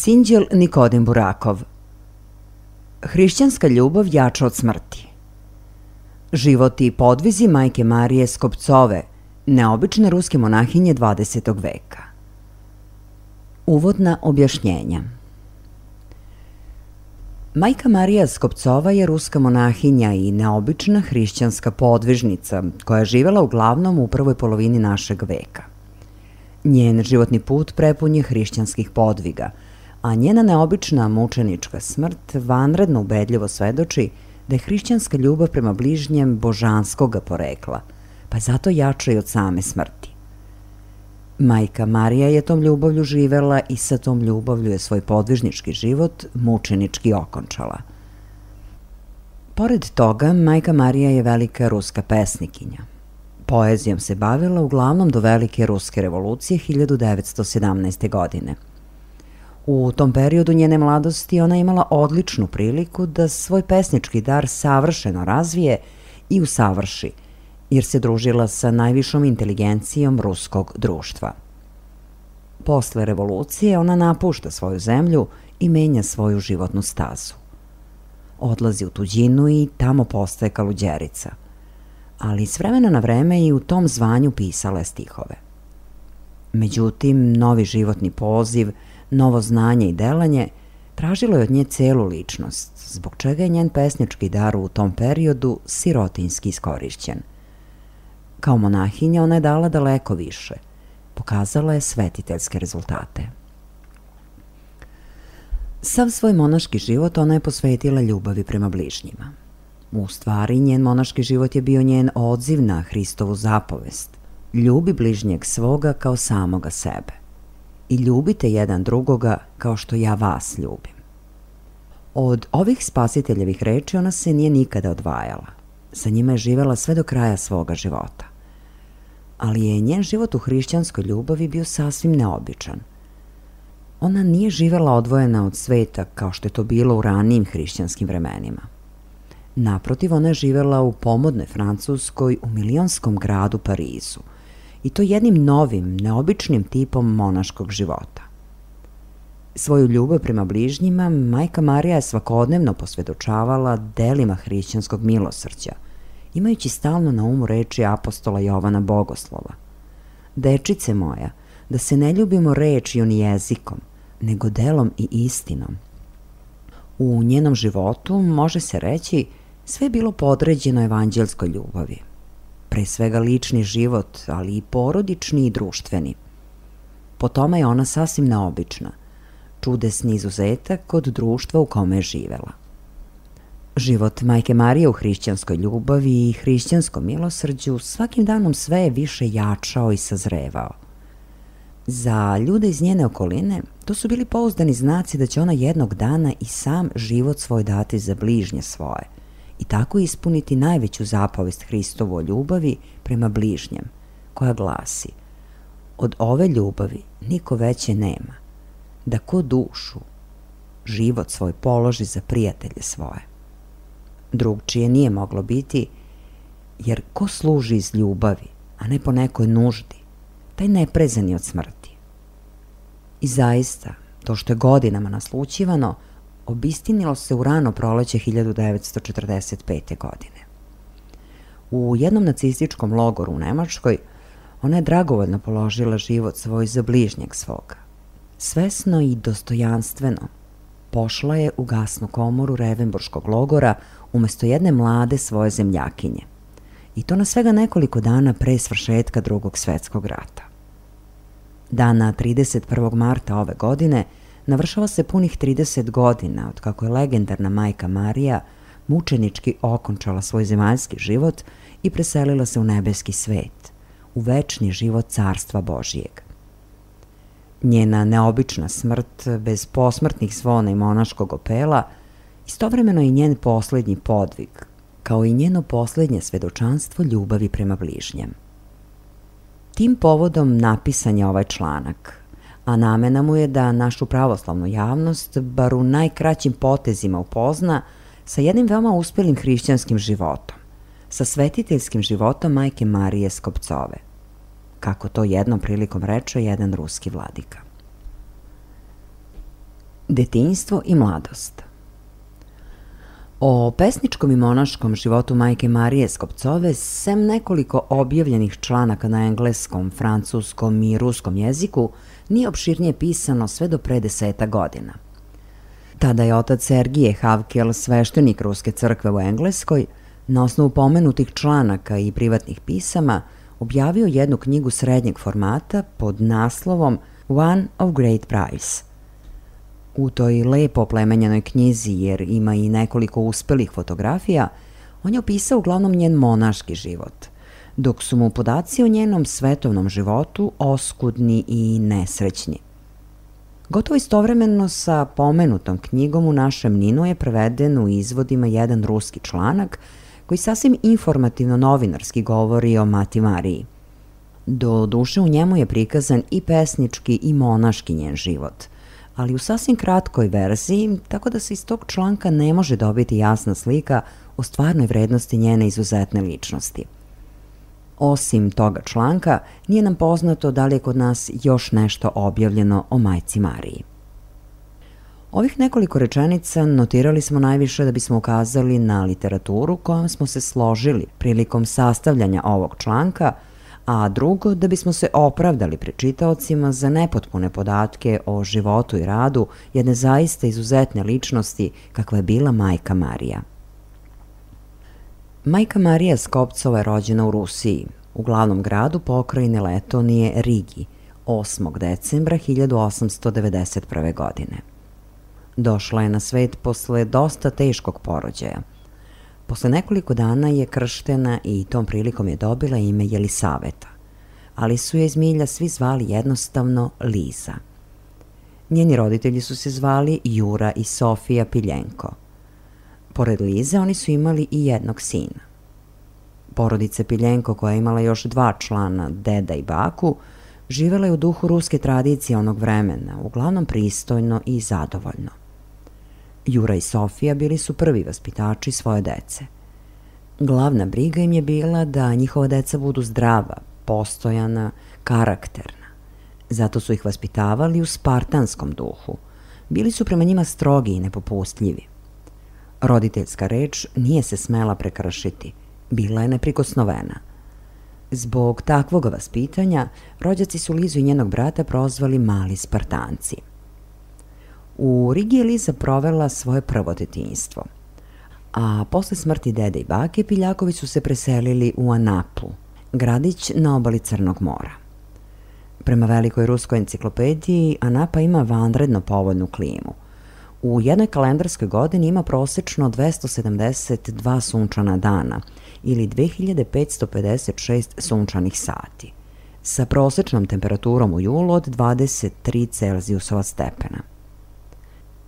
Sinđel Nikodim Burakov. Hrišćanska ljubav jača od smrti. Život i podvizi majke Marije Skopcove, neobične ruske monahinje 20. veka. Uvodna objašnjenja. Majka Marija Skopcova je ruska monahinja i neobična hrišćanska podvižnica koja je živela uglavnom u prvoj polovini našeg veka. Njen životni put prepun je hrišćanskih podviga, a njena neobična mučenička smrt vanredno ubedljivo svedoči da je hrišćanska ljubav prema bližnjem božanskoga porekla, pa je zato jača i od same smrti. Majka Marija je tom ljubavlju živela i sa tom ljubavlju je svoj podvižnički život mučenički okončala. Pored toga, majka Marija je velika ruska pesnikinja. Poezijom se bavila uglavnom do velike ruske revolucije 1917. godine. U tom periodu njene mladosti ona je imala odličnu priliku da svoj pesnički dar savršeno razvije i usavrši, jer se družila sa najvišom inteligencijom ruskog društva. Posle revolucije ona napušta svoju zemlju i menja svoju životnu stazu. Odlazi u tuđinu i tamo postaje kaluđerica, ali s vremena na vreme i u tom zvanju pisala je stihove. Međutim, novi životni poziv, novo znanje i delanje tražilo je od nje celu ličnost, zbog čega je njen pesnički dar u tom periodu sirotinjski iskorišćen. Kao monahinja ona je dala daleko više, pokazala je svetiteljske rezultate. Sav svoj monaški život ona je posvetila ljubavi prema bližnjima. U stvari, njen monaški život je bio njen odziv na Hristovu zapovest: ljubi bližnjeg svoga kao samoga sebe i ljubite jedan drugoga kao što ja vas ljubim. Od ovih spasiteljevih reči ona se nije nikada odvajala. Sa njima je živela sve do kraja svoga života. Ali je njen život u hrišćanskoj ljubavi bio sasvim neobičan. Ona nije živela odvojena od sveta kao što je to bilo u ranijim hrišćanskim vremenima. Naprotiv, ona je živela u pomodnoj Francuskoj u milionskom gradu Parizu, i to jednim novim, neobičnim tipom monaškog života. Svoju ljubav prema bližnjima majka Marija je svakodnevno posvedočavala delima hrišćanskog milosrđa, imajući stalno na umu reči apostola Jovana Bogoslova: dečice moja, da se ne ljubimo rečju ni jezikom, nego delom i istinom. U njenom životu, može se reći, sve je bilo podređeno evanđelskoj ljubavi. Pre svega lični život, ali i porodični i društveni. Po tome je ona sasvim neobična, čudesni izuzetak kod društva u kome je živela. Život majke Marije u hrišćanskoj ljubavi i hrišćanskom milosrđu svakim danom sve je više jačao i sazrevao. Za ljude iz njene okoline to su bili pouzdani znaci da će ona jednog dana i sam život svoj dati za bližnje svoje i tako ispuniti najveću zapovest Hristovu o ljubavi prema bližnjem, koja glasi: od ove ljubavi niko veće nema, da ko dušu, život svoj položi za prijatelje svoje. Drugčije nije moglo biti, jer ko služi iz ljubavi, a ne po nekoj nuždi, taj ne preza ni od smrti. I zaista, to što je godinama naslućivano, obistinilo se u rano proleće 1945. godine. U jednom nacističkom logoru u Nemačkoj ona je dragovoljno položila život svoj za bližnjeg svoga. Svesno i dostojanstveno pošla je u gasnu komoru Revenburškog logora umesto jedne mlade svoje zemljakinje, i to na svega nekoliko dana pre svršetka Drugog svetskog rata. Dana 31. marta ove godine navršava se punih 30 godina od kako je legendarna majka Marija mučenički okončala svoj zemaljski život i preselila se u nebeski svet, u večni život Carstva Božijeg. Njena neobična smrt, bez posmrtnih zvona i monaškog opela, istovremeno i njen poslednji podvig, kao i njeno poslednje svedočanstvo ljubavi prema bližnjem. Tim povodom napisan je ovaj članak, a namena mu je da našu pravoslavnu javnost bar u najkraćim potezima upozna sa jednim veoma uspelim hrišćanskim životom, sa svetiteljskim životom majke Marije Skopcove, kako to jednom prilikom reče jedan ruski vladika. Detinjstvo i mladost. O pesničkom i monaškom životu majke Marije Skopcove, sem nekoliko objavljenih članaka na engleskom, francuskom i ruskom jeziku, nije opširnije pisano sve do pre 10 godina. Tada je otac Sergije Havkel, sveštenik Ruske crkve u Engleskoj, na osnovu pomenutih članaka i privatnih pisama, objavio jednu knjigu srednjeg formata pod naslovom One of Great Price. U toj lepo oplemenjenoj knjizi, jer ima i nekoliko uspelih fotografija, on je opisao uglavnom njen monaški život, dok su mu podaci o njenom svetovnom životu oskudni i nesrećni. Gotovo istovremeno sa pomenutom knjigom u našem NIN-u je preveden u izvodima jedan ruski članak koji sasvim informativno novinarski govori o Mati Mariji. Do duše u njemu je prikazan i pesnički i monaški njen život, ali u sasvim kratkoj verziji, tako da se iz tog članka ne može dobiti jasna slika o stvarnoj vrednosti njene izuzetne ličnosti. Osim toga članka, nije nam poznato da li je kod nas još nešto objavljeno o majci Mariji. Ovih nekoliko rečenica notirali smo najviše da bismo ukazali na literaturu kojom smo se složili prilikom sastavljanja ovog članka, a drugo da bismo se opravdali pred čitaocima za nepotpune podatke o životu i radu jedne zaista izuzetne ličnosti kakva je bila majka Marija. Majka Marija Skopcova je rođena u Rusiji, u glavnom gradu pokrajine Letonije Rigi, 8. decembra 1891. godine. Došla je na svet posle dosta teškog porođaja. Posle nekoliko dana je krštena i tom prilikom je dobila ime Jelisaveta, ali su je iz milja svi zvali jednostavno Liza. Njeni roditelji su se zvali Jura i Sofija Piljenko. Pored Lize oni su imali i jednog sina. Porodica Piljenko, koja je imala još 2 člana, deda i baku, živela je u duhu ruske tradicije onog vremena, uglavnom pristojno i zadovoljno. Jura i Sofija bili su prvi vaspitači svoje dece. Glavna briga im je bila da njihova deca budu zdrava, postojana, karakterna. Zato su ih vaspitavali u spartanskom duhu. Bili su prema njima strogi i nepopustljivi. Roditeljska reč nije se smela prekršiti, bila je neprikosnovena. Zbog takvog vaspitanja, rođaci su Lizu i njenog brata prozvali mali Spartanci. U Rigi je Liza provela svoje prvo detinjstvo, a posle smrti dede i bake Piljakovi su se preselili u Anapu, gradić na obali Crnog mora. Prema velikoj ruskoj enciklopediji, Anapa ima vanredno povoljnu klimu. U jednoj kalendarskoj godini ima prosečno 272 sunčana dana ili 2556 sunčanih sati, sa prosečnom temperaturom u julu od 23 Celzijusova stepena.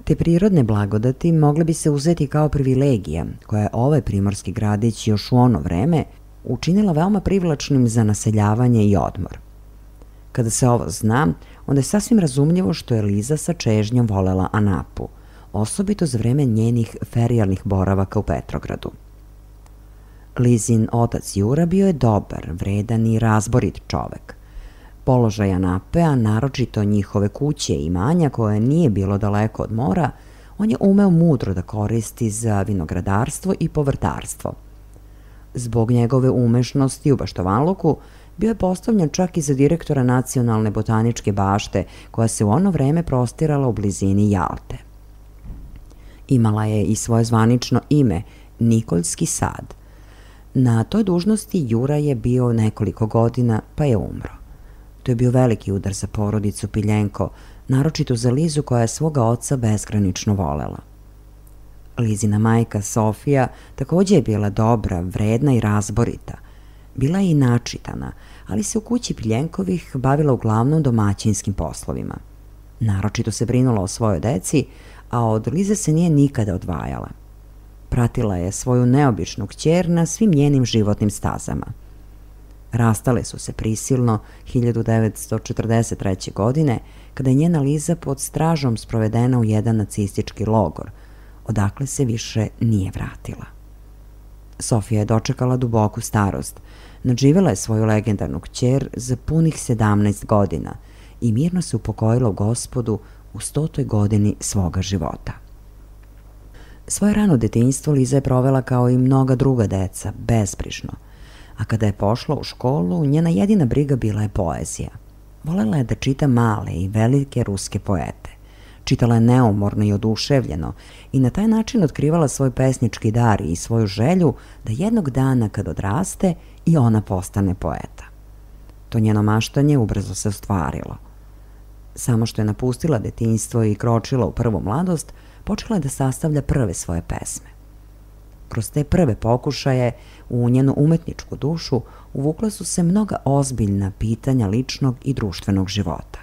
Te prirodne blagodati mogle bi se uzeti kao privilegija koja je ovaj primorski gradić još u ono vreme učinila veoma privlačnim za naseljavanje i odmor. Kada se ovo zna, onda je sasvim razumljivo što je Liza sa čežnjom volela Anapu, osobito za vreme njenih ferijalnih boravaka u Petrogradu. Lizin otac Jura bio je dobar, vredan i razborit čovek. Položaj Anape, a naročito njihove kuće i imanja koje nije bilo daleko od mora, on je umeo mudro da koristi za vinogradarstvo i povrtarstvo. Zbog njegove umešnosti u baštovanluku bio je postavljen čak i za direktora Nacionalne botaničke bašte koja se u ono vreme prostirala u blizini Jalte. Imala je i svoje zvanično ime, Nikoljski sad. Na toj dužnosti Jura je bio nekoliko godina, pa je umro. To je bio veliki udar za porodicu Piljenko, naročito za Lizu koja je svoga oca bezgranično volela. Lizina majka Sofija takođe je bila dobra, vredna i razborita. Bila je i načitana, ali se u kući Piljenkovih bavila uglavnom domaćinskim poslovima. Naročito se brinula o svojoj deci, a od Lize se nije nikada odvajala. Pratila je svoju neobičnu kćer na svim njenim životnim stazama. Rastale su se prisilno 1943. godine, kada je njena Liza pod stražom sprovedena u jedan nacistički logor, odakle se više nije vratila. Sofija je dočekala duboku starost, nadživela je svoju legendarnu kćer za punih 17 godina i mirno se upokojila u Gospodu u 100. godini svoga života. Svoje rano detinjstvo Liza je provela kao i mnoga druga deca, bezbrižno, a kada je pošla u školu, njena jedina briga bila je poezija. Volela je da čita male i velike ruske poete. Čitala je neumorno i oduševljeno i na taj način otkrivala svoj pesnički dar i svoju želju da jednog dana kad odraste i ona postane poeta. To njeno maštanje ubrzo se ostvarilo. Samo što je napustila detinjstvo i kročila u prvu mladost, počela je da sastavlja prve svoje pesme. Kroz te prve pokušaje u njenu umetničku dušu uvukla su se mnoga ozbiljna pitanja ličnog i društvenog života.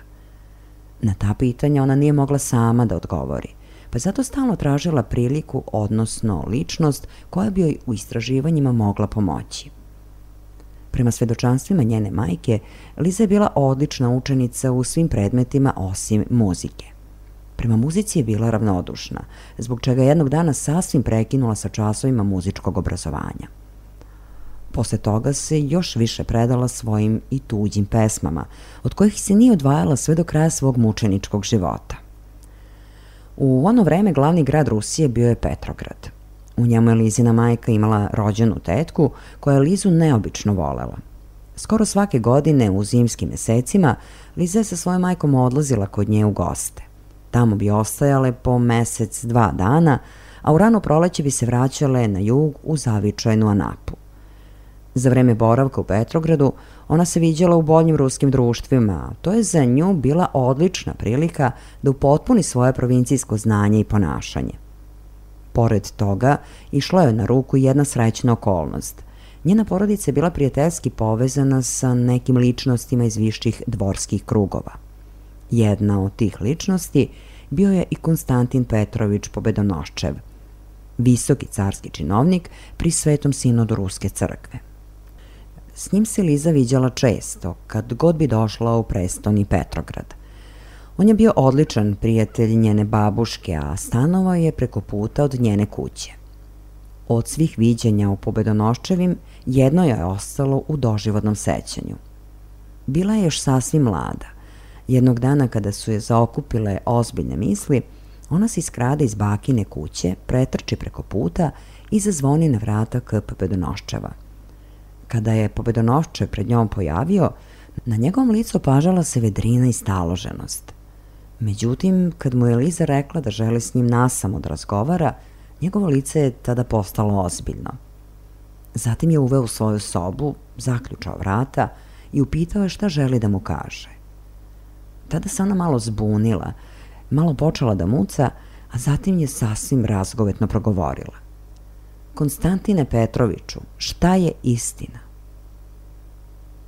Na ta pitanja ona nije mogla sama da odgovori, pa je zato stalno tražila priliku, odnosno ličnost koja bi joj u istraživanjima mogla pomoći. Prema svedočanstvima njene majke, Liza je bila odlična učenica u svim predmetima osim muzike. Prema muzici je bila ravnodušna, zbog čega je jednog dana sasvim prekinula sa časovima muzičkog obrazovanja. Posle toga se još više predala svojim i tuđim pesmama, od kojih se nije odvajala sve do kraja svog mučeničkog života. U ono vreme glavni grad Rusije bio je Petrograd. U njemu je Lizina majka imala rođenu tetku koja je Lizu neobično volela. Skoro svake godine u zimskim mesecima Liza je sa svojom majkom odlazila kod nje u goste. Tamo bi ostajale po mesec, 2 dana, a u rano proleće bi se vraćale na jug u zavičajnu Anapu. Za vreme boravka u Petrogradu ona se viđala u boljim ruskim društvima, a to je za nju bila odlična prilika da upotpuni svoje provincijsko znanje i ponašanje. Pored toga, išla je na ruku jedna srećna okolnost. Njena porodica je bila prijateljski povezana sa nekim ličnostima iz viših dvorskih krugova. Jedna od tih ličnosti bio je i Konstantin Petrović Pobedonoščev, visoki carski činovnik pri Svetom sinodu Ruske crkve. S njim se Liza viđala često, kad god bi došla u prestoni Petrograd. On je bio odličan prijatelj njene babuške, a stanovao je preko puta od njene kuće. Od svih viđenja u Pobedonoščevim, jedno je ostalo u doživotnom sećanju. Bila je još sasvim mlada. Jednog dana kada su je zaokupile ozbiljne misli, ona se iskrada iz bakine kuće, pretrči preko puta i zazvoni na vrata k Pobedonoščeva. Kada je Pobedonoščev pred njom pojavio, na njegovom licu opažala se vedrina i staloženost. Međutim, kad mu je Liza rekla da želi s njim nasamo da razgovara, njegovo lice je tada postalo ozbiljno. Zatim je uveo u svoju sobu, zaključao vrata i upitao je šta želi da mu kaže. Tada se ona malo zbunila, malo počela da muca, a zatim je sasvim razgovetno progovorila. Konstantine Petroviću, šta je istina?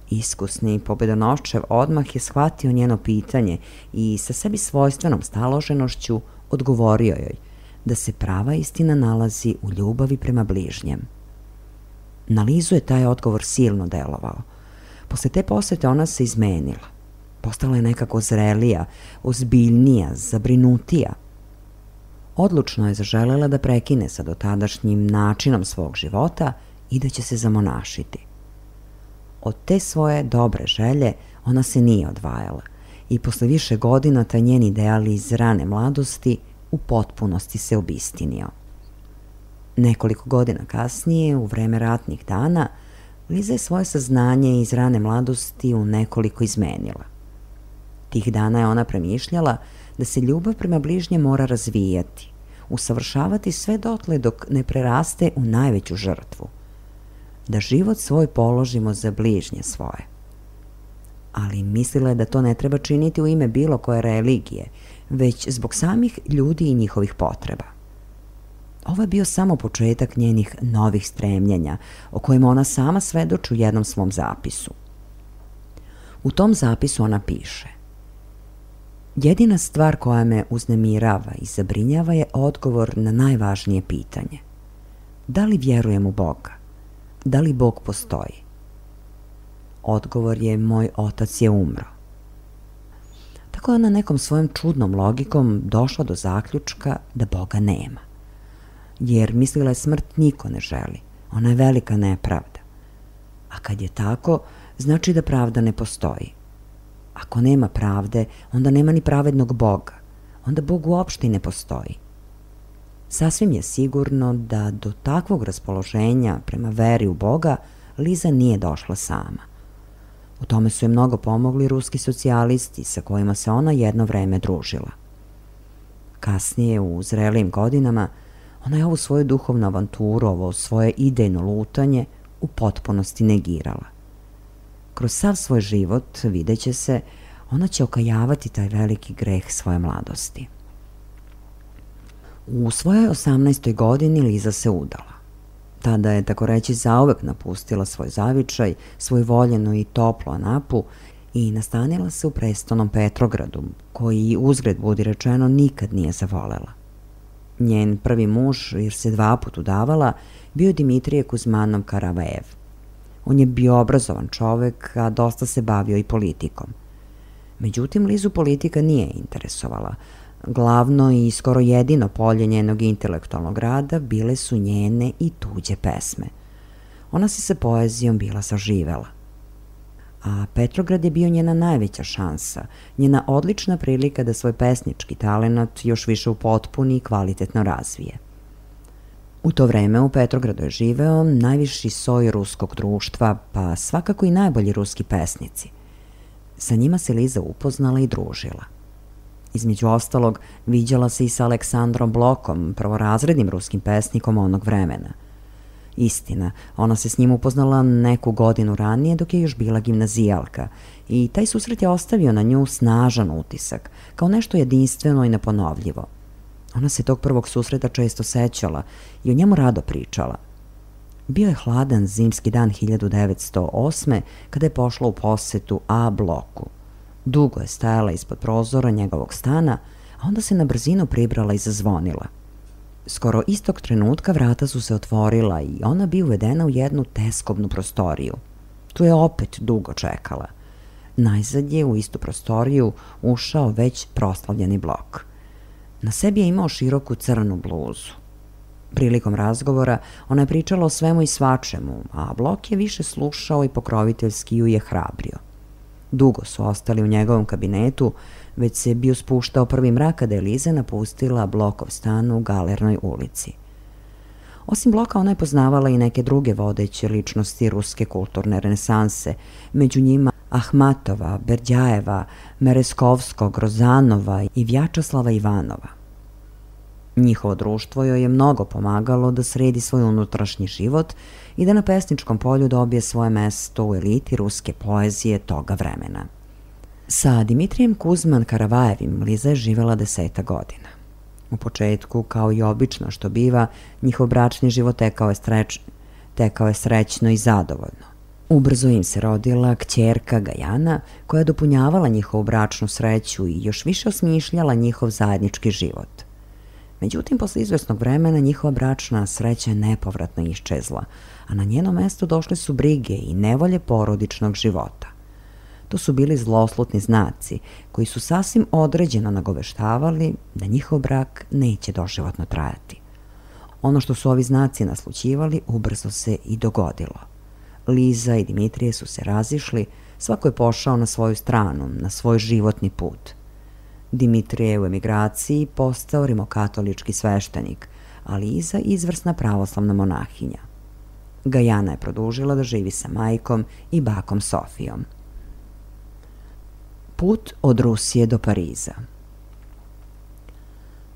Iskusni Pobedonoščev odmah je shvatio njeno pitanje i sa sebi svojstvenom staloženošću odgovorio joj da se prava istina nalazi u ljubavi prema bližnjem. Na Lizu je taj odgovor silno delovao. Posle te posete ona se izmenila. Postala je nekako zrelija, ozbiljnija, zabrinutija. Odlučno je zaželela da prekine sa dotadašnjim načinom svog života i da će se zamonašiti. Od te svoje dobre želje ona se nije odvajala i posle više godina taj njen ideal iz rane mladosti u potpunosti se obistinio. Nekoliko godina kasnije, u vreme ratnih dana, Liza je svoje saznanje iz rane mladosti u nekoliko izmenila. Tih dana je ona premišljala da se ljubav prema bližnjem mora razvijati, usavršavati sve dotle dok ne preraste u najveću žrtvu. Da život svoj položimo za bližnje svoje. Ali mislila je da to ne treba činiti u ime bilo koje religije, već zbog samih ljudi i njihovih potreba. Ovo je bio samo početak njenih novih stremljenja, o kojima ona sama svedoči u jednom svom zapisu. U tom zapisu ona piše: jedina stvar koja me uznemirava i zabrinjava je odgovor na najvažnije pitanje. Da li vjerujem u Boga? Da li Bog postoji? Odgovor je: moj otac je umro. Tako je ona nekom svojom čudnom logikom došla do zaključka da Boga nema. Jer mislila je smrt niko ne želi, ona je velika nepravda. A kad je tako, znači da pravda ne postoji. Ako nema pravde, onda nema ni pravednog Boga. onda Bog uopšte i ne postoji. Sasvim je sigurno da do takvog raspoloženja prema veri u Boga Liza nije došla sama. U tome su je mnogo pomogli ruski socijalisti sa kojima se ona jedno vreme družila. Kasnije, u zrelijim godinama, ona je ovu svoju duhovnu avanturu, ovo svoje idejno lutanje u potpunosti negirala. Kroz sav svoj život, videće se, ona će okajavati taj veliki greh svoje mladosti. U svojoj 18. godini Liza se udala. Tada je, tako reći, zauvek napustila svoj zavičaj, svoju voljenu i toplu Anapu i nastanila se u prestolnom Petrogradu, koji, uzgred budi rečeno, nikad nije zavolela. Njen prvi muž, jer se 2 puta udavala, bio Dimitrije Kuzmanov Karavajev. On je bio obrazovan čovek, a dosta se bavio i politikom. Međutim, Lizu politika nije interesovala. Glavno i skoro jedino polje njenog intelektualnog rada bile su njene i tuđe pesme. Ona se sa poezijom bila saživela. A Petrograd je bio njena najveća šansa, njena odlična prilika da svoj pesnički talenat još više upotpuni i kvalitetno razvije. U to vreme u Petrogradu je živeo najviši soj ruskog društva, pa svakako i najbolji ruski pesnici. Sa njima se Liza upoznala i družila. Između ostalog, viđala se i sa Aleksandrom Blokom, prvorazrednim ruskim pesnikom onog vremena. Istina, ona se s njim upoznala neku godinu ranije dok je još bila gimnazijalka i taj susret je ostavio na nju snažan utisak, kao nešto jedinstveno i neponovljivo. Ona se tog prvog susreta često sećala i o njemu rado pričala. Bio je hladan zimski dan 1908. kada je pošla u posetu A bloku. Dugo je stajala ispod prozora njegovog stana, a onda se na brzinu pribrala i zazvonila. Skoro istog trenutka vrata su se otvorila i ona bi uvedena u jednu teskobnu prostoriju. Tu je opet dugo čekala. Najzad je u istu prostoriju ušao već proslavljeni Blok. Na sebi je imao široku crnu bluzu. Prilikom razgovora ona je pričala o svemu i svačemu, a Blok je više slušao i pokroviteljski ju je hrabrio. Dugo su ostali u njegovom kabinetu, već se bio spuštao prvi mrak kada je Liza napustila Blokov stan u Galernoj ulici. Osim Bloka, ona je poznavala i neke druge vodeće ličnosti ruske kulturne renesanse, među njima Ahmatova, Berdjajeva, Mereskovskog, Rozanova i Vjačeslava Ivanova. Njihovo društvo joj je mnogo pomagalo da sredi svoj unutrašnji život i da na pesničkom polju dobije svoje mesto u eliti ruske poezije toga vremena. Sa Dimitrijem Kuzman Karavajevim Liza je živela 10 godina. U početku, kao i obično što biva, njihov bračni život tekao je srećno i zadovoljno. Ubrzo im se rodila kćerka Gajana, koja je dopunjavala njihovu bračnu sreću i još više osmišljala njihov zajednički život. Međutim, posle izvesnog vremena njihova bračna sreća je nepovratno iščezla, a na njeno mesto došle su brige i nevolje porodičnog života. To su bili zloslutni znaci koji su sasvim određeno nagoveštavali da njihov brak neće doživotno trajati. Ono što su ovi znaci naslućivali ubrzo se i dogodilo. Liza i Dimitrije su se razišli, svako je pošao na svoju stranu, na svoj životni put. Dimitrije je u emigraciji postao rimokatolički sveštenik, a Liza izvrsna pravoslavna monahinja. Gajana je produžila da živi sa majkom i bakom Sofijom. Put od Rusije do Pariza.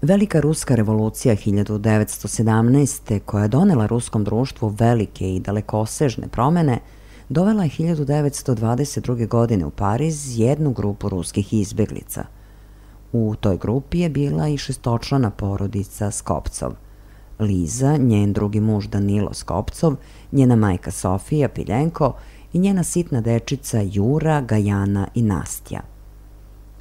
Velika ruska revolucija 1917. koja je donela ruskom društvu velike i dalekosežne promene, dovela je 1922. godine u Pariz jednu grupu ruskih izbjeglica. U toj grupi je bila i 6-člana porodica Skopcov. Liza, njen drugi muž Danilo Skopcov, njena majka Sofija Piljenko i njena sitna dečica Jura, Gajana i Nastja.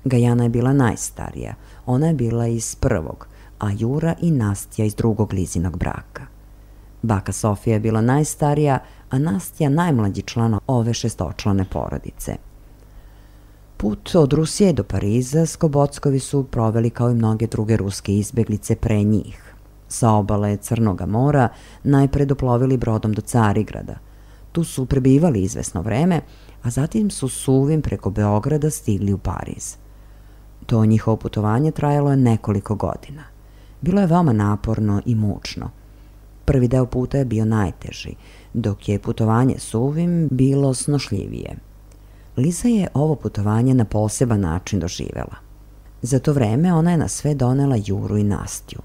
Gajana je bila najstarija, ona je bila iz prvog, a Jura i Nastja iz drugog Lizinog braka. Baka Sofija je bila najstarija, a Nastja najmlađi član ove 6-člane porodice. Put od Rusije do Pariza Skobockovi su proveli kao i mnoge druge ruske izbjeglice pre njih. Sa obale Crnoga mora najpre doplovili brodom do Carigrada. Tu su prebivali izvesno vreme, a zatim su suvim preko Beograda stigli u Pariz. To njihovo putovanje trajalo je nekoliko godina. Bilo je veoma naporno i mučno. Prvi deo puta je bio najteži, dok je putovanje suvim bilo snošljivije. Liza je ovo putovanje na poseban način doživela. Za to vreme ona je na sve donela Juru i Nastju.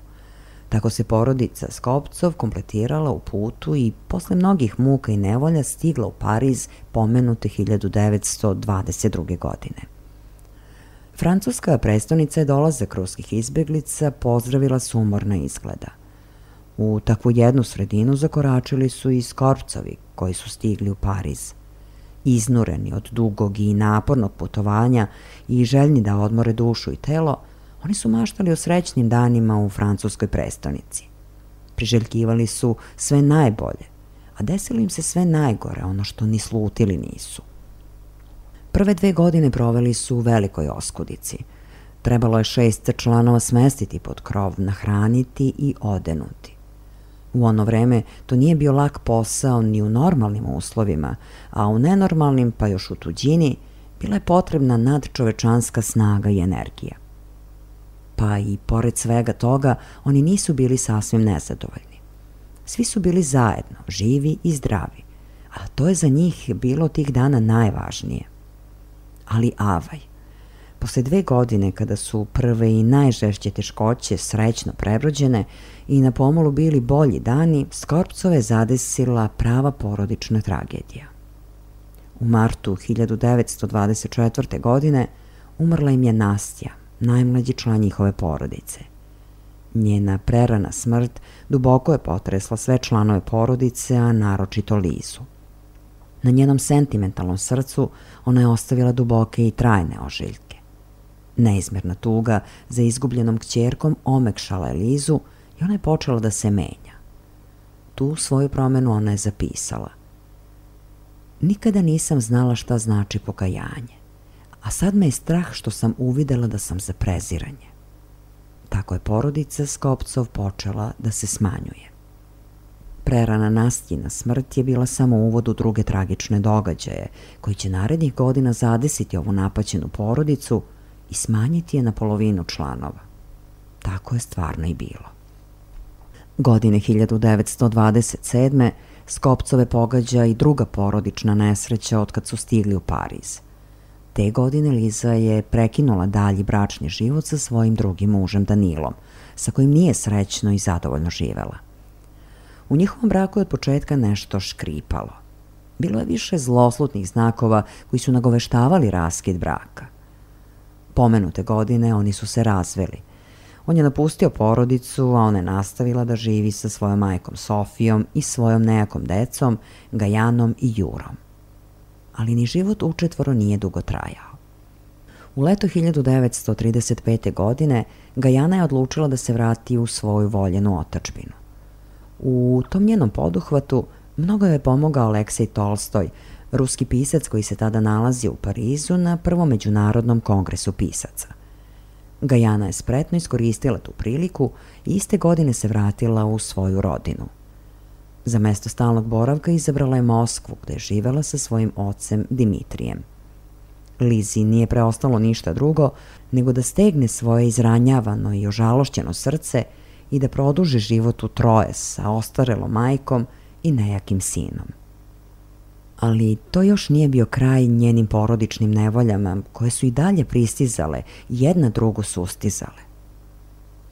Tako se porodica Skopcov kompletirala u putu i posle mnogih muka i nevolja stigla u Pariz pomenute 1922. godine. Francuska prestonica je dolazak ruskih izbeglica pozdravila sumorna izgleda. U takvu jednu sredinu zakoračili su i Skopcovi koji su stigli u Pariz. Iznureni od dugog i napornog putovanja i željni da odmore dušu i telo, oni su maštali o srećnim danima u francuskoj prestonici. Priželjkivali su sve najbolje, a desilo im se sve najgore, ono što ni slutili nisu. Prve 2 godine proveli su u velikoj oskudici. Trebalo je 6 članova smestiti pod krov, nahraniti i odenuti. U ono vreme to nije bio lak posao ni u normalnim uslovima, a u nenormalnim, pa još u tuđini, bila je potrebna nadčovečanska snaga i energija. Pa i pored svega toga, oni nisu bili sasvim nezadovoljni. Svi su bili zajedno, živi i zdravi, a to je za njih bilo tih dana najvažnije. Ali avaj, posle 2 godine kada su prve i najžešće teškoće srećno prebrođene i na pomolu bili bolji dani, Skopcove zadesila prava porodična tragedija. U martu 1924. godine umrla im je Nastja, najmlađi član njihove porodice. Njena prerana smrt duboko je potresla sve članove porodice, a naročito Lizu. Na njenom sentimentalnom srcu ona je ostavila duboke i trajne ožiljke. Neizmjerna tuga za izgubljenom kćerkom omekšala je Lizu i ona je počela da se menja. Tu svoju promenu ona je zapisala. Nikada nisam znala šta znači pokajanje, a sad me je strah što sam uvidela da sam za preziranje. Tako je porodica Skopcov počela da se smanjuje. Prerana Nastjina smrt je bila samo uvod u druge tragične događaje, koji će narednih godina zadesiti ovu napaćenu porodicu i smanjiti je na polovinu članova. Tako je stvarno i bilo. Godine 1927. Skopcove pogađa i druga porodična nesreća otkad su stigli u Pariz. Te godine Liza je prekinula dalji bračni život sa svojim drugim mužem Danilom, sa kojim nije srećno i zadovoljno živela. U njihovom braku je od početka nešto škripalo. Bilo je više zloslutnih znakova koji su nagoveštavali raskid braka. Pomenute godine oni su se razveli. On je napustio porodicu, a ona je nastavila da živi sa svojom majkom Sofijom i svojom nejakom decom, Gajanom i Jurom. Ali ni život učetvoro nije dugo trajao. U leto 1935. godine Gajana je odlučila da se vrati u svoju voljenu otadžbinu. U tom njenom poduhvatu mnogo je pomogao Aleksej Tolstoj, ruski pisac koji se tada nalazi u Parizu na prvom međunarodnom kongresu pisaca. Gajana je spretno iskoristila tu priliku i iste godine se vratila u svoju rodinu. Za mesto stalnog boravka izabrala je Moskvu, gde je živela sa svojim ocem Dimitrijem. Lizi nije preostalo ništa drugo nego da stegne svoje izranjavano i ožalošćeno srce i da produži život u troje sa ostarelom majkom i nejakim sinom. Ali to još nije bio kraj njenim porodičnim nevoljama, koje su i dalje pristizale i jedna drugu sustizale.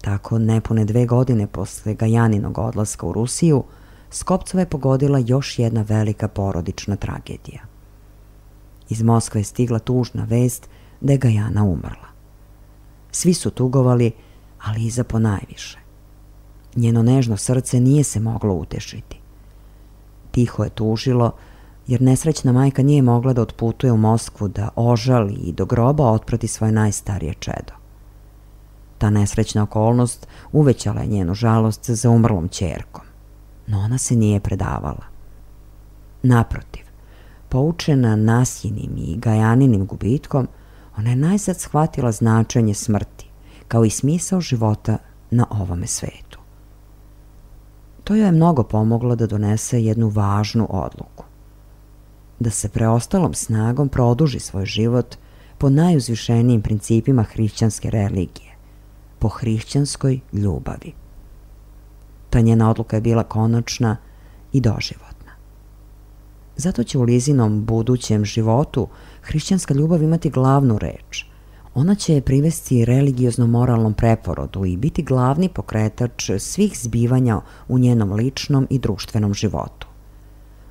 Tako, nepune 2 godine posle Gajaninog odlaska u Rusiju, Skopcova je pogodila još jedna velika porodična tragedija. Iz Moskve je stigla tužna vest da je Gajana umrla. Svi su tugovali, ali Liza ponajviše. Njeno nežno srce nije se moglo utešiti. Tiho je tužilo, jer nesrećna majka nije mogla da otputuje u Moskvu da ožali i do groba otprati svoje najstarije čedo. Ta nesrećna okolnost uvećala je njenu žalost za umrlom ćerkom, no ona se nije predavala. Naprotiv, poučena Nasjinim i Gajaninim gubitkom, ona je najzad shvatila značenje smrti, kao i smisao života na ovome svetu. To joj je mnogo pomoglo da donese jednu važnu odluku. Da se preostalom snagom produži svoj život, po najuzvišenijim principima hrišćanske religije, po hrišćanskoj ljubavi. Ta njena odluka je bila konačna i doživotna. Zato će u Lizinom budućem životu hrišćanska ljubav imati glavnu reč. Ona će je privesti religiozno-moralnom preporodu i biti glavni pokretač svih zbivanja u njenom ličnom i društvenom životu.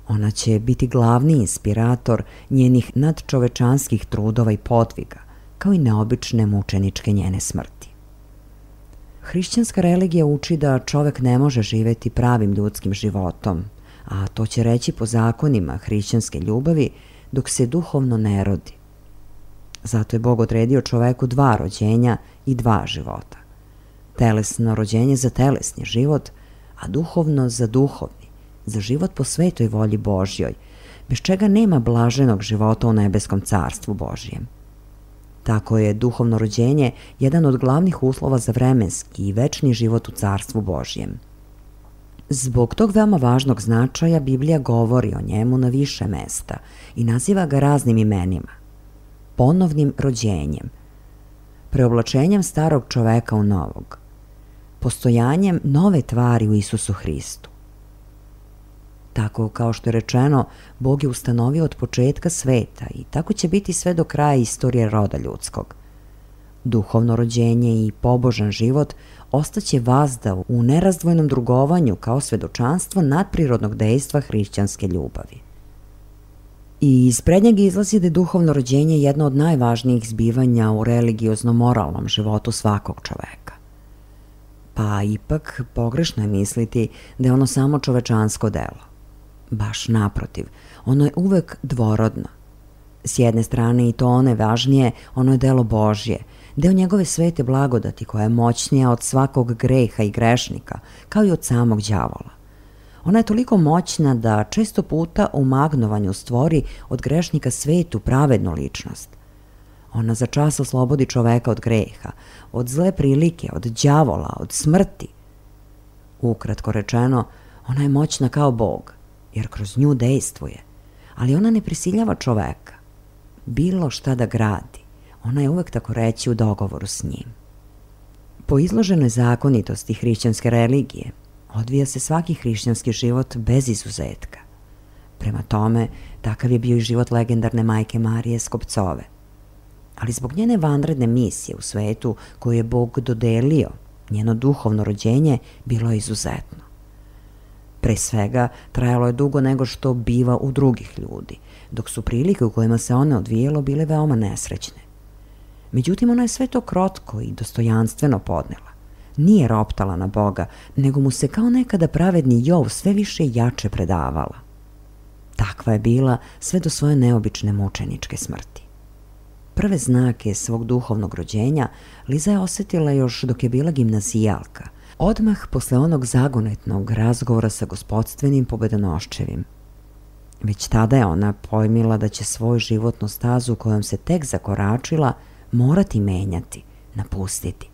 Ona će biti glavni inspirator njenih nadčovečanskih trudova i podviga, kao i neobične mučeničke njene smrti. Hrišćanska religija uči da čovek ne može živeti pravim ljudskim životom, a to će reći po zakonima hrišćanske ljubavi dok se duhovno ne rodi. Zato je Bog odredio čoveku 2 rođenja i 2 života. Telesno rođenje za telesni život, a duhovno za duhovni, za život po svetoj volji Božjoj, bez čega nema blaženog života u nebeskom carstvu Božjem. Tako je duhovno rođenje jedan od glavnih uslova za vremenski i večni život u carstvu Božjem. Zbog tog veoma važnog značaja Biblija govori o njemu na više mesta i naziva ga raznim imenima. Ponovnim rođenjem, preoblačenjem starog čoveka u novog, postojanjem nove tvari u Isusu Hristu. Tako kao što je rečeno, Bog je ustanovio od početka sveta i tako će biti sve do kraja istorije roda ljudskog. Duhovno rođenje i pobožan život ostaće vazda u nerazdvojnom drugovanju kao svedočanstvo nadprirodnog dejstva hrišćanske ljubavi. I iz prednjeg izlazi da je duhovno rođenje jedno od najvažnijih zbivanja u religiozno-moralnom životu svakog čoveka. Pa ipak pogrešno je misliti da je ono samo čovečansko delo. Baš naprotiv, ono je uvek dvorodno. S jedne strane i to one važnije, ono je delo Božje, deo njegove svete blagodati koja je moćnija od svakog greha i grešnika, kao i od samog đavola. Ona je toliko moćna da često puta u magnovanju stvori od grešnika svetu pravednu ličnost. Ona za čas oslobodi čoveka od greha, od zle prilike, od đavola, od smrti. Ukratko rečeno, ona je moćna kao Bog, jer kroz nju dejstvuje, ali ona ne prisiljava čoveka. Bilo šta da gradi, ona je uvek tako reći u dogovoru s njim. Po izloženoj zakonitosti hrišćanske religije, odvija se svaki hrišćanski život bez izuzetka. Prema tome, takav je bio i život legendarne majke Marije Skopcove. Ali zbog njene vanredne misije u svetu koju je Bog dodelio, njeno duhovno rođenje bilo je izuzetno. Pre svega, trajalo je dugo nego što biva u drugih ljudi, dok su prilike u kojima se one odvijelo bile veoma nesrećne. Međutim, ona je sve to krotko i dostojanstveno podnela. Nije roptala na Boga, nego mu se kao nekada pravedni Jov sve više i jače predavala. Takva je bila sve do svoje neobične mučeničke smrti. Prve znake svog duhovnog rođenja Liza je osetila još dok je bila gimnazijalka, odmah posle onog zagonetnog razgovora sa gospodstvenim pobedonoščevim. Već tada je ona pojmila da će svoju životnu stazu kojom se tek zakoračila morati menjati, napustiti.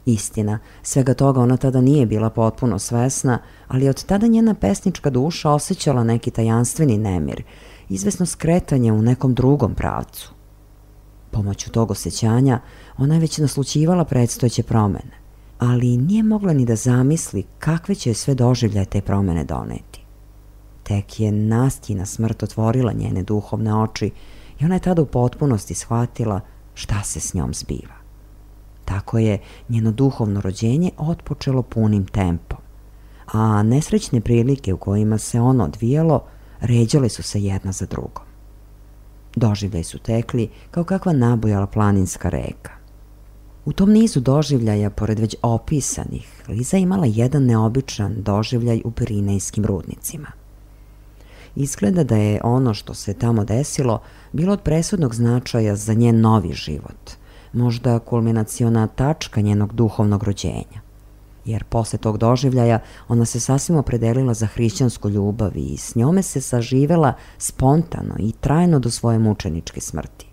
Istina, svega toga ona tada nije bila potpuno svesna, ali od tada njena pesnička duša osjećala neki tajanstveni nemir, izvesno skretanje u nekom drugom pravcu. Pomoću tog osjećanja ona je već naslućivala predstojeće promene, ali nije mogla ni da zamisli kakve će sve doživljaje te promene doneti. Tek je Nastjina smrt otvorila njene duhovne oči i ona je tada u potpunosti shvatila šta se s njom zbiva. Tako je njeno duhovno rođenje otpočelo punim tempom, a nesrećne prilike u kojima se ono odvijalo ređale su se jedna za drugom. Doživljaj su tekli kao kakva nabujala planinska reka. U tom nizu doživljaja, pored već opisanih, Liza imala jedan neobičan doživljaj u Pirinejskim rudnicima. Izgleda da je ono što se tamo desilo bilo od presudnog značaja za njen novi život, možda kulminaciona tačka njenog duhovnog rođenja. Jer posle tog doživljaja ona se sasvim opredelila za hrišćansku ljubav i s njome se saživela spontano i trajno do svoje mučeničke smrti.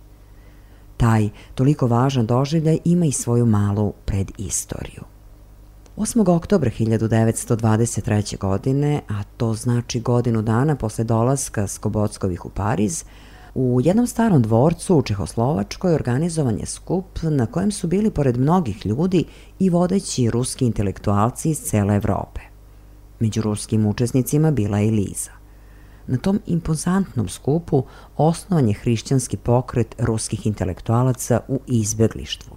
Taj toliko važan doživljaj ima i svoju malu predistoriju. 8. oktobra 1923. godine, a to znači godinu dana posle dolaska Skobockovih u Pariz, U jednom starom dvorcu u Čehoslovačkoj organizovan je skup na kojem su bili pored mnogih ljudi i vodeći ruski intelektualci iz cele Evrope. Među ruskim učesnicima bila je i Liza. Na tom impozantnom skupu osnovan je hrišćanski pokret ruskih intelektualaca u izbeglištvu,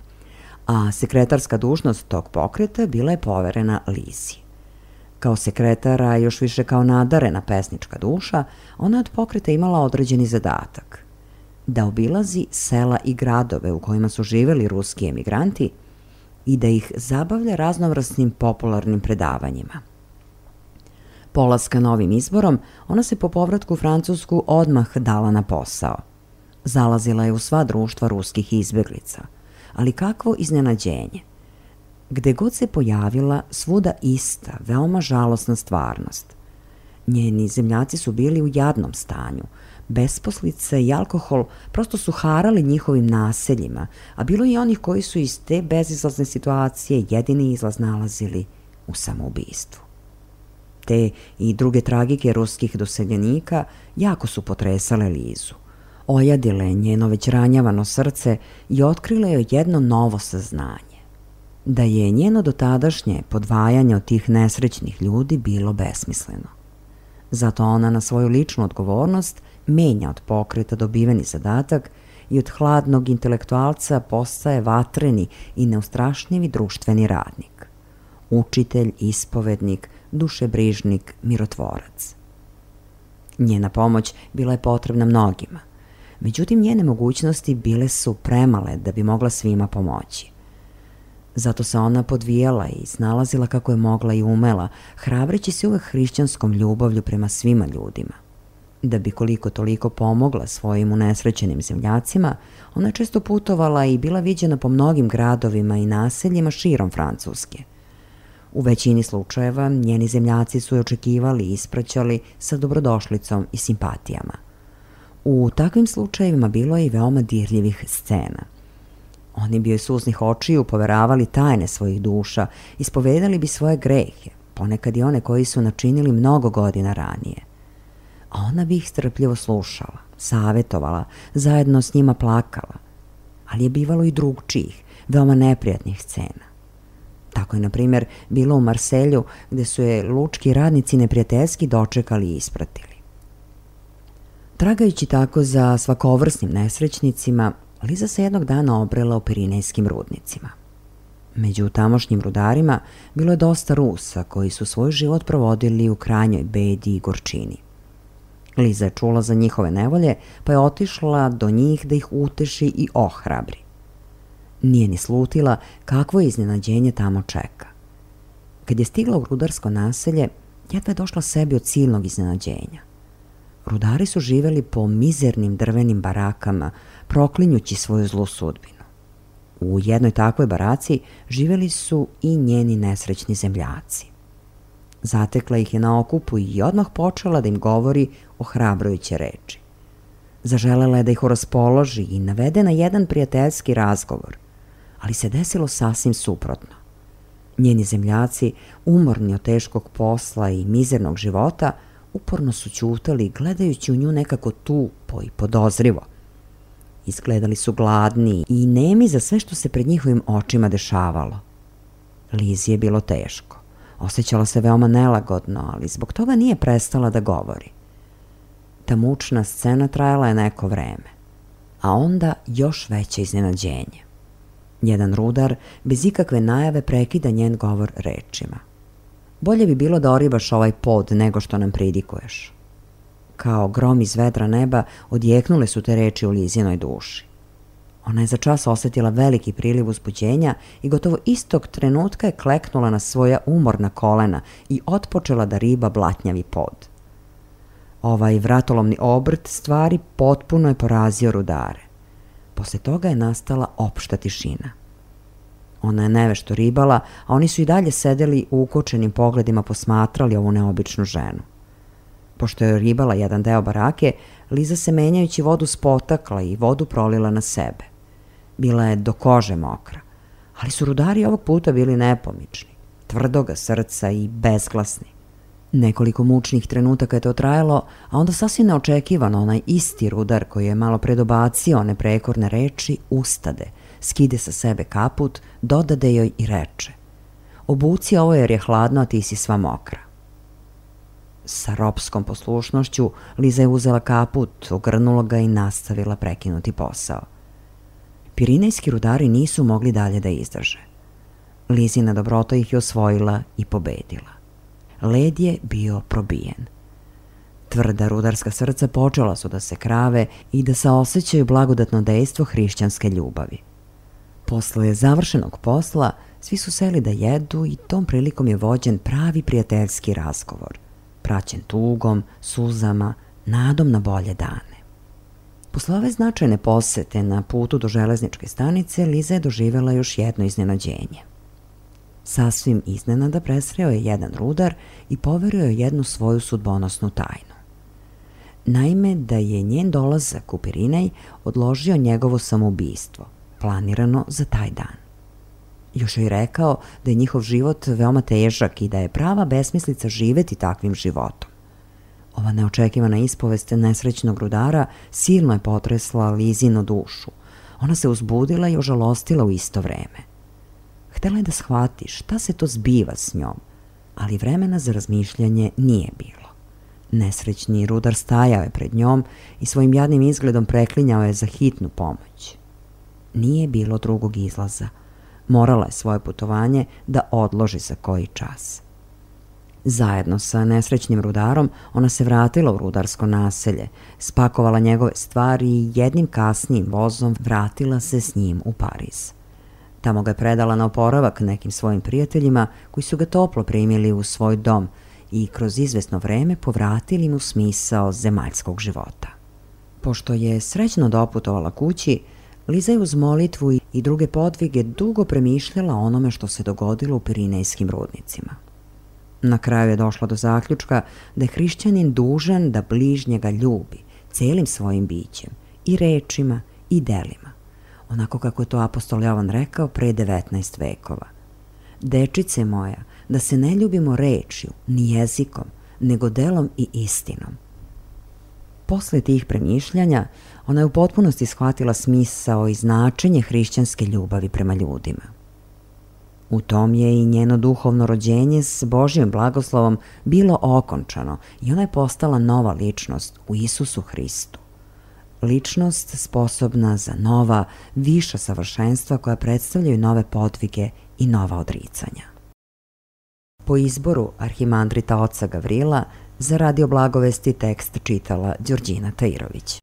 a sekretarska dužnost tog pokreta bila je poverena Lizi. Kao sekretara, još više kao nadarena pesnička duša, ona je od pokreta imala određeni zadatak da obilazi sela i gradove u kojima su živeli ruski emigranti i da ih zabavlja raznovrsnim popularnim predavanjima. Polaska novim izborom, ona se po povratku u Francusku odmah dala na posao. Zalazila je u sva društva ruskih izbeglica, ali kakvo iznenađenje! Gde god se pojavila, svuda ista, veoma žalosna stvarnost. Njeni zemljaci su bili u jadnom stanju, besposlice i alkohol prosto su harali njihovim naseljima, a bilo je i onih koji su iz te bezizlazne situacije jedini izlaz nalazili u samoubistvu. Te i druge tragike ruskih doseljenika jako su potresale Lizu, ojadile njeno već ranjavano srce i otkrile joj jedno novo saznanje, da je njeno dotadašnje podvajanje od tih nesrećnih ljudi bilo besmisleno. Zato ona na svoju ličnu odgovornost menja od pokreta dobiveni zadatak i od hladnog intelektualca postaje vatreni i neustrašnivi društveni radnik. Učitelj, ispovednik, dušebrižnik, mirotvorac. Njena pomoć bila je potrebna mnogima, međutim njene mogućnosti bile su premale da bi mogla svima pomoći. Zato se ona podvijala i snalazila kako je mogla i umela, hrabreći se uvek hrišćanskom ljubavlju prema svima ljudima. Da bi koliko toliko pomogla svojim unesrećenim zemljacima, ona je često putovala i bila viđena po mnogim gradovima i naseljima širom Francuske. U većini slučajeva njeni zemljaci su je očekivali i ispraćali sa dobrodošlicom i simpatijama. U takvim slučajevima bilo je i veoma dirljivih scena. Oni bi joj suznih očiju poveravali tajne svojih duša, ispovedali bi svoje grehe, ponekad i one koji su načinili mnogo godina ranije. A ona bi ih strpljivo slušala, savjetovala, zajedno s njima plakala, ali je bivalo i drugčijih, veoma neprijatnih scena. Tako je, na primjer, bilo u Marselju, gde su je lučki radnici neprijateljski dočekali i ispratili. Tragajući tako za svakovrsnim nesrećnicima, Liza se jednog dana obrela u Pirinejskim rudnicima. Među tamošnjim rudarima bilo je dosta Rusa koji su svoj život provodili u krajnjoj bedi i gorčini. Liza je čula za njihove nevolje, pa je otišla do njih da ih uteši i ohrabri. Nije ni slutila kakvo iznenađenje tamo čeka. Kad je stigla u rudarsko naselje, jedva je došla sebi od silnog iznenađenja. Rudari su živeli po mizernim drvenim barakama, proklinjući svoju zlu sudbinu. U jednoj takvoj baraci živeli su i njeni nesrećni zemljaci. Zatekla ih je na okupu i odmah počela da im govori ohrabrujuće reči. Zaželela je da ih raspoloži i navede na jedan prijateljski razgovor, ali se desilo sasvim suprotno. Njeni zemljaci, umorni od teškog posla i mizernog života, uporno su ćutali, gledajući u nju nekako tupo i podozrivo. Izgledali su gladni i nemi za sve što se pred njihovim očima dešavalo. Lizi je bilo teško. Osjećala se veoma nelagodno, ali zbog toga nije prestala da govori. Ta mučna scena trajala je neko vreme, a onda još veće iznenađenje. Jedan rudar bez ikakve najave prekida njen govor rečima. Bolje bi bilo da oribaš ovaj pod nego što nam pridikuješ. Kao grom iz vedra neba odjeknule su te reči u Lizinoj duši. Ona je za čas osjetila veliki priliv uzbuđenja i gotovo istog trenutka je kleknula na svoja umorna kolena i otpočela da riba blatnjavi pod. Ovaj vratolomni obrt stvari potpuno je porazio rudare. Posle toga je nastala opšta tišina. Ona je nevešto ribala, a oni su i dalje sedeli u ukočenim pogledima posmatrali ovu neobičnu ženu. Pošto je ribala jedan deo barake, Liza se menjajući vodu spotakla i vodu prolila na sebe. Bila je do kože mokra, ali su rudari ovog puta bili nepomični, tvrdoga srca i bezglasni. Nekoliko mučnih trenutaka je to trajalo, a onda sasvim neočekivano onaj isti rudar koji je malo predobacio one prekorne reči ustade, skide sa sebe kaput, dodade joj i reče: "Obuci ovo jer je hladno, a ti si sva mokra." Sa ropskom poslušnošću Liza je uzela kaput, ogrnula ga i nastavila prekinuti posao. Pirinejski rudari nisu mogli dalje da izdrže. Lizina dobrota ih je osvojila i pobedila. Led je bio probijen. Tvrda rudarska srca počela su da se krave i da saosećaju blagodatno dejstvo hrišćanske ljubavi. Posle završenog posla svi su seli da jedu i tom prilikom je vođen pravi prijateljski razgovor, praćen tugom, suzama, nadom na bolje dane. Posle ove značajne posete na putu do železničke stanice, Liza je doživjela još jedno iznenađenje. Sasvim iznenada presreo je jedan rudar i poverio je jednu svoju sudbonosnu tajnu. Naime, da je njen dolazak u Pirinej odložio njegovo samoubistvo, planirano za taj dan. Još joj rekao da je njihov život veoma težak i da je prava besmislica živeti takvim životom. Ova neočekivana ispovest nesrećnog rudara silno je potresla Lizinu dušu. Ona se uzbudila i ožalostila u isto vreme. Htela je da shvati šta se to zbiva s njom, ali vremena za razmišljanje nije bilo. Nesrećni rudar stajao je pred njom i svojim jadnim izgledom preklinjao je za hitnu pomoć. Nije bilo drugog izlaza. Morala je svoje putovanje da odloži za koji čas. Zajedno sa nesrećnim rudarom ona se vratila u rudarsko naselje, spakovala njegove stvari i jednim kasnijim vozom vratila se s njim u Pariz. Tamo ga je predala na oporavak nekim svojim prijateljima koji su ga toplo primili u svoj dom i kroz izvesno vreme povratili mu smisao zemaljskog života. Pošto je srećno doputovala kući, Liza je uz molitvu i druge podvige dugo premišljala o onome što se dogodilo u pirinejskim rudnicima. Na kraju je došla do zaključka da je hrišćanin dužan da bližnjega ljubi celim svojim bićem, i rečima i delima, onako kako je to apostol Jovan rekao pre 19 vekova. Dečice moja, da se ne ljubimo rečju, ni jezikom, nego delom i istinom. Posle tih premišljanja, ona je u potpunosti shvatila smisao i značenje hrišćanske ljubavi prema ljudima. U tom je i njeno duhovno rođenje s Božjim blagoslovom bilo okončano i ona je postala nova ličnost u Isusu Hristu. Ličnost sposobna za nova, viša savršenstva koja predstavljaju nove podvige i nova odricanja. Po izboru arhimandrita oca Gavrila za Radio Blagovesti tekst čitala Đorđina Tajirović.